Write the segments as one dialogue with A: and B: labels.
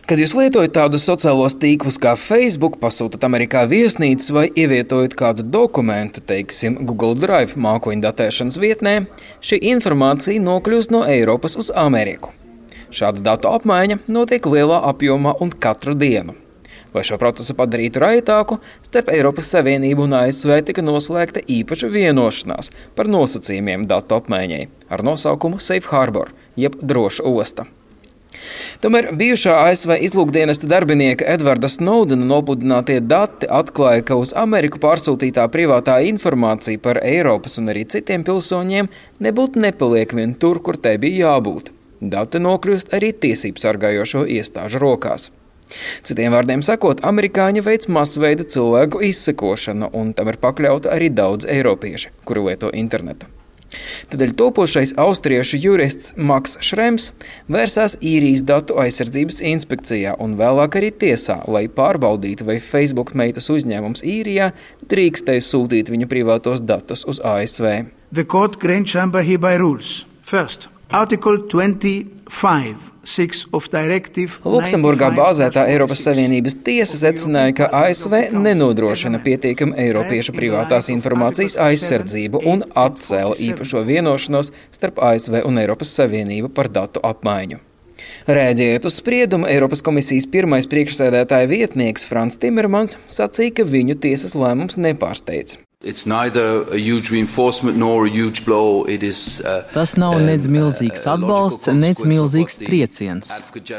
A: Kad jūs lietojat tādus sociālos tīklus kā Facebook, pasūtat Amerikā viesnīcas vai ievietojat kādu dokumentu, teiksim, Google Drive mākoņu datēšanas vietnē, šī informācija nokļūst no Eiropas uz Ameriku. Šāda datu apmaiņa notiek lielā apjomā un katru dienu. Lai šo procesu padarītu raitāku, starp Eiropas Savienību un ASV tika noslēgta īpaša vienošanās par nosacījumiem datu apmaiņai ar nosaukumu Safe Harbor, jeb droša osta. Tomēr bijušā ASV izlūkdienesta darbinieka Edvarda Snowdena nopudinātie dati atklāja, ka uz Ameriku pārsūtītā privātā informācija par Eiropas un arī citiem pilsoņiem nebūtu nepaliek vien tur, kur tai bija jābūt. Dati nokļūst arī tiesību sargājošo iestāžu rokās. Citiem vārdiem sakot, amerikāņi veic masveida cilvēku izsekošanu, un tam ir pakļauta arī daudz eiropieši, kuri lieto internetu. Tādēļ topošais austriešu jurists Maks Šrems vērsās Īrijas datu aizsardzības inspekcijā un vēlāk arī tiesā, lai pārbaudītu, vai Facebook meitas uzņēmums Īrijā drīkstēja sūtīt viņa privātos datus uz ASV.
B: The court grant chamber hereby rules. First, Article 25.
A: Luksemburgā bāzētā Eiropas Savienības tiesa secināja, ka ASV nenodrošina pietiekami eiropiešu privātās informācijas aizsardzību un atcēla īpašo vienošanos starp ASV un Eiropas Savienību par datu apmaiņu. Rēģējot uz spriedumu, Eiropas komisijas pirmais priekšsēdētāja vietnieks Frans Timermans sacīja, ka viņu tiesas lēmums nepārsteidz.
C: Tas nav nec milzīgs atbalsts, nec milzīgs trieciens.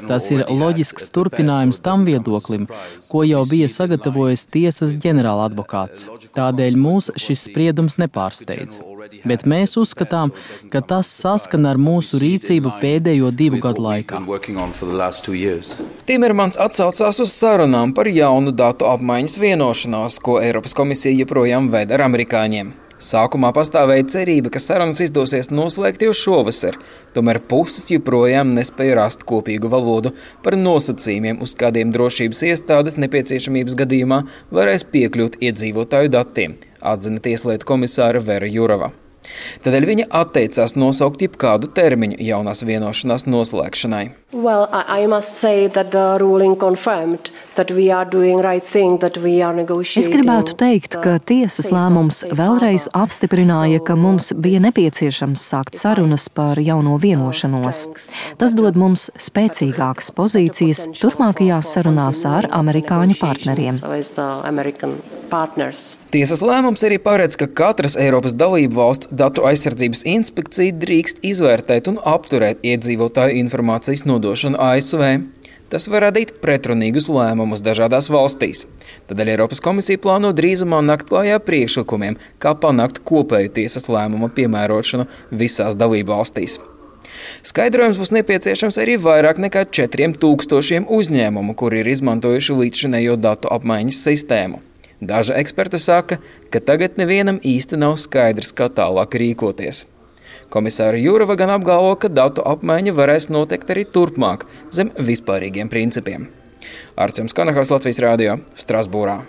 C: Tas ir loģisks turpinājums tam viedoklim, ko jau bija sagatavojis tiesas ģenerāla advokāts. Tādēļ mūs šis spriedums nepārsteidz. Bet mēs uzskatām, ka tas saskan ar mūsu rīcību pēdējo 2 gadu laikā.
A: Timermans atsaucās uz sarunām par jaunu datu apmaiņas vienošanos, ko Eiropas komisija joprojām ved ar amerikāņiem. Sākumā pastāvēja cerība, ka sarunas izdosies noslēgt jau šovasar, tomēr puses joprojām nespēja rast kopīgu valodu par nosacījumiem, uz kādiem drošības iestādes nepieciešamības gadījumā varēs piekļūt iedzīvotāju datiem, atzina tieslietu komisāra Vera Jurova. Tādēļ viņa atteicās nosaukt jebkādu termiņu jaunās vienošanās noslēgšanai.
D: Es gribētu teikt, ka tiesas lēmums vēlreiz apstiprināja, ka mums bija nepieciešams sākt sarunas par jauno vienošanos. Tas dod mums spēcīgākas pozīcijas turpmākajās sarunās ar amerikāņu partneriem.
A: Tiesas lēmums arī paredz, ka katras Eiropas dalību valsts datu aizsardzības inspekcija drīkst izvērtēt un apturēt iedzīvotāju informācijas nodošanu ASV. Tas var radīt pretrunīgus lēmumus dažādās valstīs. Tādēļ Eiropas komisija plāno drīzumā nākt klājā priekšlikumiem, kā panākt kopēju tiesas lēmuma piemērošanu visās dalību valstīs. Skaidrojums būs nepieciešams arī vairāk nekā 4000 uzņēmumu, kuri ir izmantojuši līdzšinējo datu apmaiņas sistēmu. Daži eksperti saka, ka tagad nevienam īsti nav skaidrs, kā tālāk rīkoties. Komisāra Jurova gan apgalvo, ka datu apmaiņa varēs notikt arī turpmāk zem vispārīgiem principiem. Artjoms Kanahaus, Latvijas radio, Strasbūrā.